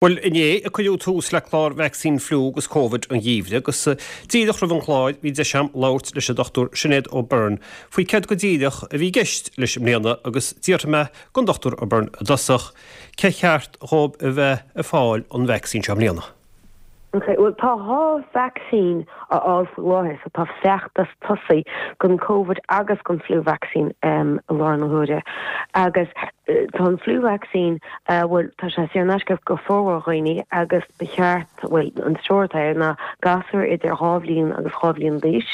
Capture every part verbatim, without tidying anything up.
Bhuel, inné a cuireadh tús le clár vacsaín fliú agus Covid an gheimhridh agus díreach roimh an chlár bhí deis agam labhairt leis an Dr Sinéad O'Byrne faoi céard go díreach a bhí i gceist leis i mbliana agus d'fhiafraigh mé den Dr O'Byrne i dtosach cé cheart dhóibh a bheith ag fáil an vacsaín seo i mbliana. Okay, well tá dhá vacsaín á fháil faoi láthair, so tá feachtas tosaithe don COVID agus don flu vaccine um, i láthair na huaire. Agus uh, tá an flu vaccine uh, well, tá sé saor in aisce go formhór dhaoine agus ba cheart well, an treoir ná gasúir idir dhá bhliain agus dhá bhliain d'aois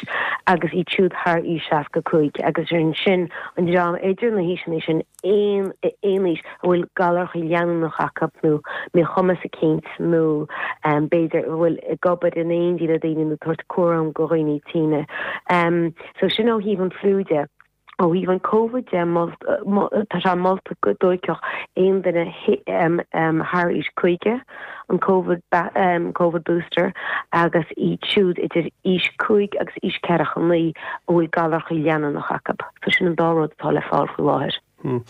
agus iad siúd thar aois seasca cúig agus sin sin an dream idir na haoiseanna sin aon aon aois a bhfuil galar leanúnach acu nó míchumas eicínt nó um, b'fhéidir a bhfuil ag obair in éindí le daoine nó tabhairt cúram go dhaoine tinne. Um, so sin ó thaobh an fliú de. Ó thaobh an COVID de tá sé molta go dtógfadh aon duine um, um, thar aois caoga an COVID, um, COVID booster agus iad siúd idir aois cúig agus aois ceathracha naoi a bhfuil galar leanúnach acu. So sin an dá rud atá le fáil faoi láthair. Hmm.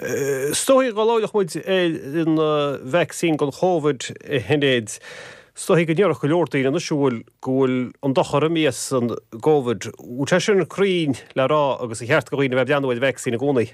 Is dóigh go labhróidh muid an vacsaín don Covid a Shinéad. Is dóigh go ndéarfadh go leor daoine anois bhfuil go bhfuil an dochar imithe as an gCovid. Bhfuil sé sin cruinn le rá agus an cheart go dhaoine bheith breathnú ar vacsaín i gcónaí.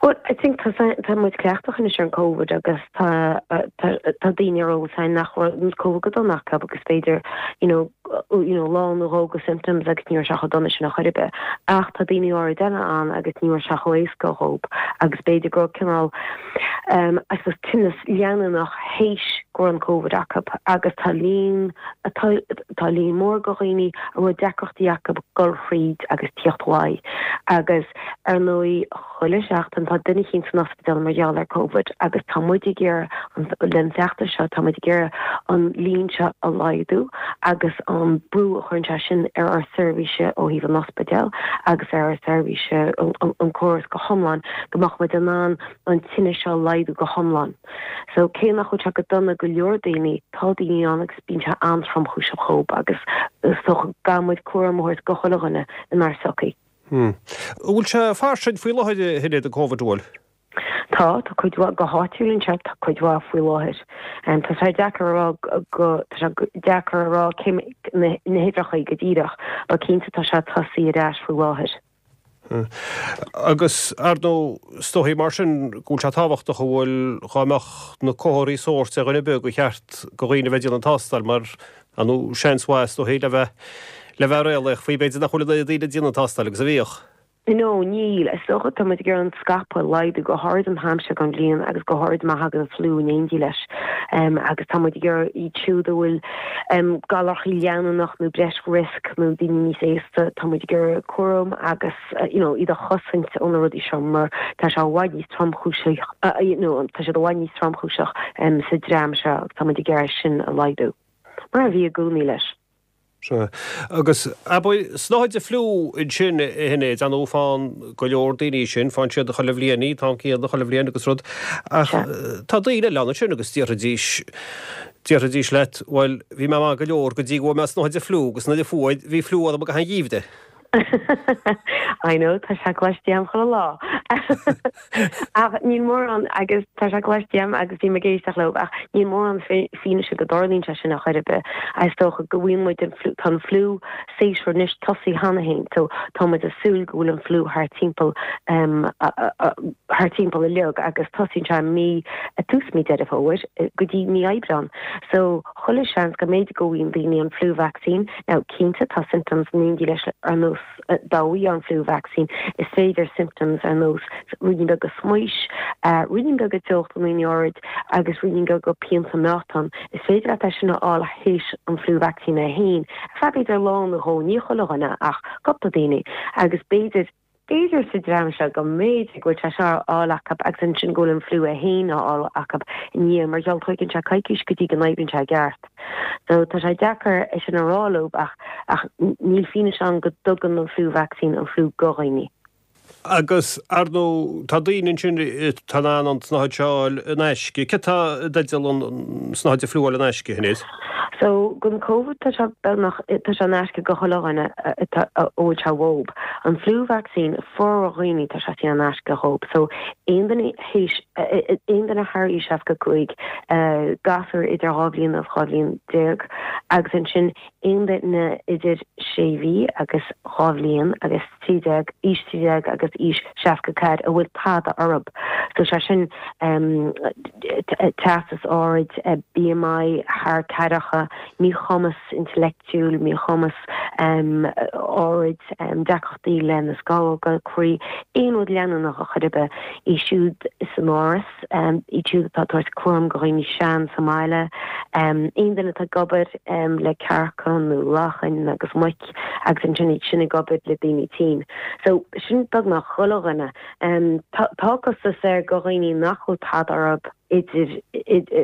Well, I think tá tá muid cleachtach anois ar an COVID agus tá tá daoine ar eolas nach raibh COVID go dona acu agus b'fhéidir you know, you know, lá nó dhó de symptoms agus ní raibh sé chomh dona sin a chorbe. Ach tá daoine áirid eile ann agus ní raibh sé chomh éasca dhóibh agus b'fhéidir go cineál um, I suppose tinneas leanúnach théis go raibh an COVID acu agus tá líon tá líon mór go dhaoine a bhfuil deacrachtaí acu gol thríd agus tíocht uaidh agus ar ndóigh chuile seachtain tá duine eicínt san ospidéal mar gheall ar COVID agus tá muid ag iarraidh leis an bhfeachtas seo tá muid ag iarraidh an líon seo a laghdú agus an brú a chuireann sé sin ar ár seirbhíse ó thaobh an ospidéal agus ar ár seirbhíse an córas go hiomlán go mbeadh muid in ann an tinneas seo laghdú go hiomlán. So cé nach bhfuil sé go dona go leor daoine tá daoine ann agus bíonn sé an-tromchúiseach dhóibh agus is dócha go gcaithfidh muid cúram a thabhairt go chuile dhuine inár sochaí. Hmm. Bhfuil sé fairsing faoi láthair a Shinéad an COVID bhfuil? Tá tá cuid go háitiúil anseo tá cuid mhaith faoi láthair. Um, tá sé deacair a rá go tá sé deacair a rá cé na huimhreacha go díreach, ba cinnte tá sé tosaithe ar ais faoi láthair. Hmm. Agus ar ndóigh is dóigh mar sin go bhfuil sé tábhachtach a bhfuil dá mbeadh na comharthaí sóirt ar dhuine ar bith gur cheart go dhaoine bheith ag déanamh an tástáil mar anú seans mhaith is dóigh le bheith le bheith réalaíoch faoi b'fhéidir nach bhfuil daoine ag déanamh an tástáil agus a bhíodh. No, níl is dócha tá muid ag iarraidh an scaipeadh a laghdú go háirid an t-am seo den bhliain agus go háirid má thagann an fliú in éindí leis. Um, agus tá muid ag iarraidh iad siúd a bhfuil um, galar leanúnach nó breis risk nó daoine níos aosta tá muid ag iarraidh cúram agus uh, you know, iad a chosaint ó na rudaí seo mar tá sé i bhfad níos tromchúiseach uh, you know, tá sé i bhfad níos tromchúiseach um, sa dream seo tá muid ag iarraidh sin a laghdú. Mar a bhí i gcónaí leis. Sea. Agus abair snáthaid fliú ansin a Shinéad an faigheann go leor daoine sin faigheann siad chuile bhliain í tá céad chuile bhliain agus rud ach tá daoine eile ansin agus déarfaidís déarfaidís leat bhuel bhí mé maith go leor go dtí go bhfuair mé snáthaid fliú agus nuair a fuair bhí fliú orm go han gheimhreadh. I know tá sé cloiste agam chuile lá. Ach níl mórán agus tá sé cloiste agam agus bhí ag éisteacht leo ach níl mórán fianaise go dtarlaíonn sé sin a chor ar bith. Is dócha go bhfuil muid tá an fliú séasúr anois tosaithe cheana féin, so tá muid ag súil go bhfuil an fliú thar timpeall um, thar timpeall uilig agus tosaíonn sé mí tús mí Deireadh Fómhair go dtí mí Aibreán. So chuile seans go mb'fhéidir go bhfaigheann daoine an flu vaccine now cinnte tá symptoms in éindí leis ar nós dá bhfaighfeá an flu vaccine is féidir symptoms ar nós ruainnín beag smaois, uh, ruainnín beag teocht in airde agus ruainnín beag pianta meáchan. Is féidir leat sin a fháil théis an flu vaccine é féin. B'fhéidir lá nó dhó ní chuile dhuine ach cúpla daoine agus b'fhéidir B'fhéidir sa dream seo go mb'fhéidir go bhfuil sé seo á fháil acu agus ansin go bhfuil an fliú é féin á fháil acu i ndiaidh mar gheall tógann sé coicís go dtí go n-oibríonn sé i gceart. So tá sé deacair é sin a rá leo ach ach níl fianaise ann go dtugann an flu vaccine an fliú go dhaoine. Agus ar ndóigh tá daoine ansin atá in ann an tsnáthaid seo a fháil in aisce. Cé tá i dteideal an tsnáthaid fliú a fháil in aisce, a Shinéad? So gon COVID tá sé beagnach tá sé in aisce go chuile dhuine a bhfuil sé uathub. An flu vaccine formhór dhaoine tá sé in aisce dhób. So aon duine théis aon duine thar aois seasca cúig gasúr idir dhá bhliain agus dhá bhliain déag agus ansin aon duine idir sé mhí agus dhá bhliain agus trí déag aois trí déag agus aois seasca ceathair a bhfuil tada orthub. So sé sin teastas ard, BMI thar ceathracha, míchumas intleachtúil, míchumas ard, deacrachtaí le na scamhóga croí, aon rud leanúnach ar chor ar bith, iad siúd san áras, iad siúd atá ag tabhairt cúram go dhaoine sean sa mbaile, aon duine atá ag obair le cearca nó lachain agus muic agus ansin iad sin ag obair le daoine tinn. So sin beagnach chuile dhuine. Tá costas air go dhaoine nach bhfuil tada orthub idir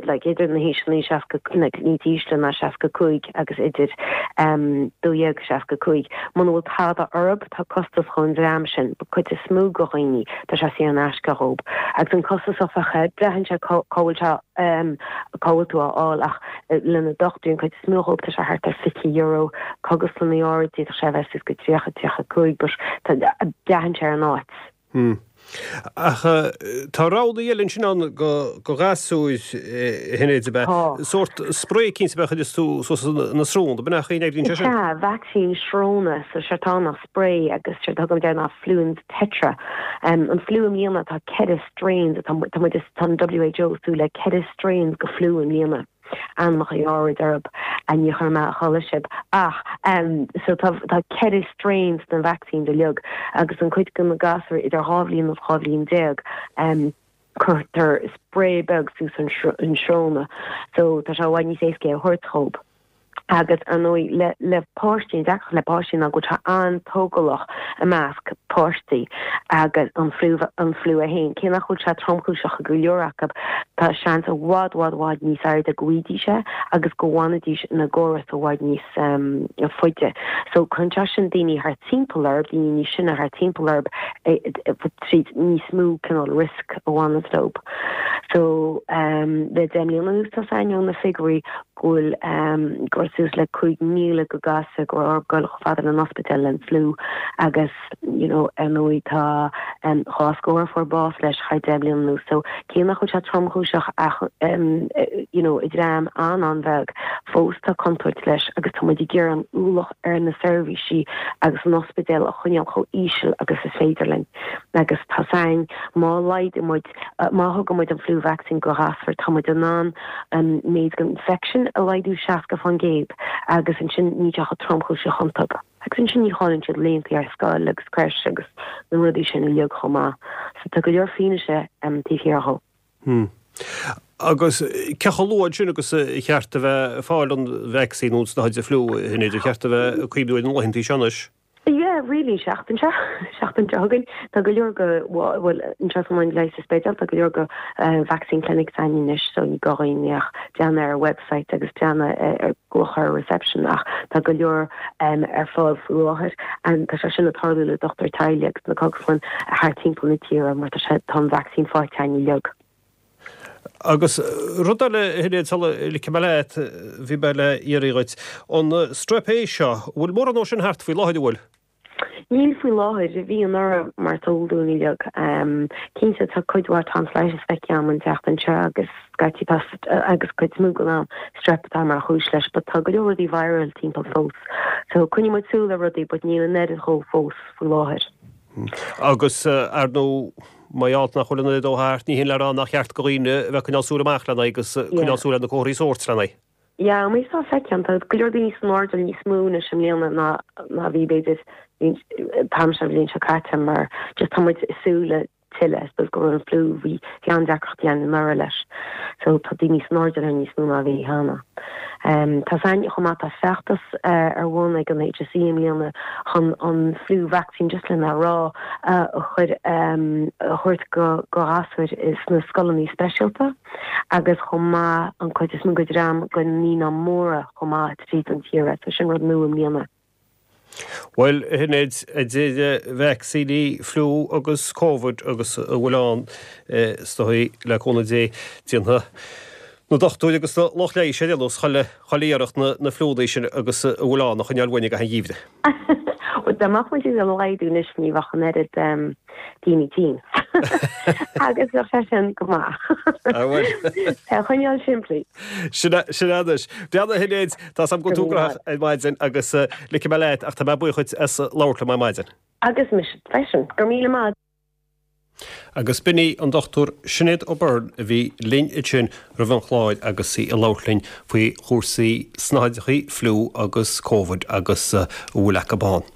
like idir na haoiseanna seasca like níos ísle ná seasca cúig agus idir dó dhéag agus seasca cúig. Muna bhfuil tada orthub tá costas chun dream sin, but cuid is mó go dhaoine tá sé saor in aisce dhób. Agus an costas áfach braitheann sé cá bhfuil sé cá bhfuil tú á fháil ach le na dochtúirí an cuid is mó dhób tá sé thart ar fiche euro, cógaslanna áirid d'fhéadfadh sé a bheith suas go tríocha, tríocha cúig but braitheann sé ar an áit. Hmm. Ach tá rogha eile ansin ann go ghasúir a Shinéad ab ea? Tá. Sórt sprae eicínt ab ea a chuireas tú suas na sróna, ab ea nach oibríonn sé sin? Sea, vacsaín sróna, so séard atá ann ná sprae agus séard a thugaimid air ná Fluenz Tetra. An fliú i mbliana tá ceithre strains, tá muid, tá an WHO ag súil le ceithre strains go fliú i mbliana. Ainmneacha áirid orthub ní chuirfidh mé a chodladh sibh ach so tá tá ceithre strains den vaccines uilig agus an cuid de na gasúir idir dhá bhliain agus dhá bhliain déag cuirtear sprae beag suas an an sróna so tá sé i bhfad níos éasca é a thabhairt dhób. Agus ar ndóigh le le páistí, an deacracht le páistí ná go bhfuil sé an-tógálach i measc páistí agus an fliú an fliú é féin, cé nach bhfuil sé tromchúiseach ag go leor acu, tá seans i bhfad bhfad bhfad níos airde go bhfaighidís é agus go bhfanfaidís ina gcóras i bhfad níos faide. So cuireann sé sin daoine thart timpeall orthu, daoine níos sine thart timpeall orthu tríd níos mó cineál risk a bhaineanns leo. So le deich mbliana anuas tá ainneoin na figiúirí go bhfuil go raibh suas le cúig míle go gasúr go raibh orthu dul chomh fada le an ospidéal le an fliú agus you know ar ndóigh tá dhá scór a fuair bás leis thar deich mbliana anuas so cé nach bhfuil sé tromchúiseach ach you know i dream an-an-bheag fós tá contúirt leis agus tá muid ag iarraidh an ualach ar na seirbhísí agus an ospidéal a choinneáil chomh íseal agus is féidir linn agus tá 's againn má laghdaíonn muid má thugann muid an flu vaccine go ghasúir tá muid in ann an méid den infection a laghdú seasca faoin gcéad agus ansin níl sé chomh tromchúiseach iontu. Agus ansin ní chailleann siad laethanta ar scoil agus creche agus na rudaí sin uilig chomh maith. So tá go leor fianaise taobh thiar dhó. Hmm. Agus cé chomh luath ansin agus a cheart a bheith ag fáil an vacsaín nó an snáthaid fliú, a Shinéad, ar cheart a bheith ag cuimhniú ar na laethanta seo anois? Yeah, really, seachtain seo, seachtain seo chugainn. Tá go leor go, bhuel, anseo san Laighis sa Spidéal, tá go leor go vaccine clinics againn anois so ní gá dhaoine ach breathnú ar website agus breathnú ar glaoch ar reception ach tá go leor ar fáil faoi láthair. And tá sé sin ag tarlú le dochtúir teaghlaigh agus na cógaslann thart timpeall na tíre mar tá sé, tá an vaccine faighte againn uilig. Agus rud eile, a Shinéad, sula ligfidh mé leat, bhí mé le iarraidh dhuit, an strep A seo, an bhfuil mórán dó sin thart faoi láthair, an bhfuil? Níl faoi láthair, bhí anuraidh mar is eol dúinn uilig. Cinnte tá cuid mhaith tonsillitis feicthe agam an tseachtain seo agus scaití tá agus cuid is mó den am strep atá mar chúis leis but tá go leor rudaí viral timpeall fós. So coinneoidh muid súil ar rudaí but níl an oiread dhó fós faoi láthair. Agus, ar ndóigh, mar gheall nach bhfuil an oiread dó thart, ní hin le rá nach ceart do dhaoine a bheith ag coinneáil súil amach lena aghaidh agus coinneáil súil ar na comharthaí sóirt lena aghaidh. Yeah, mar is feicthe tá go leor daoine san airdeall níos mó anois i mbliana ná ná bhí b'fhéidir an t-am seo an bhliain seo caite mar just tá muid ag súil le tuilleadh, I suppose go raibh an fliú, bhí bhí an-deacrachtaí ann anuraidh leis so tá daoine san airdeall air níos mó ná bhí cheana. Tá 's againn chomh maith tá feachtas ar bun ag an HSE i mbliana chun an flu vaccine just lena rá a chur a thabhairt go go ghasúir sna scoileanna speisialta agus chomh maith an cuid is mó go dream go naíonáin mhóra chomh maith tríd an tír so sin rud nua i mbliana. Bhuel, a Shinéad, idir vacsaíní fliú agus Covid agus a bhfuil ann is dóigh le cúnamh Dé déanfaidh na dochtúirí agus na lucht leighis ar aon nós chuile chuile iarracht na na fliúnna sin agus a bhfuil ann a choinneáil uainn i gcaitheamh an gheimhridh. Bhuel dá mbeadh muid ag laghdú anois ní bheadh an oiread daoine tinn. Agus bheadh sé sin go maith. Ah bhuel. É a choinneáil simplí. Sin é sin é anois. Breathnaigh a Shinéad, tá 's agam go bhfuil tú gnóthach ar maidin agus ligfidh mé leat ach tá mé buíoch dhuit as labhairt liom ar maidin. Agus mise freisin. Go raibh míle maith. Agus b'in í an Dochtúir Sinéad O'Byrne a bhí linn ansin roimh an chlár agus í ag labhairt linn faoi chúrsaí snáthaidreacha, fliú agus Covid agus a bhfuil acu ann.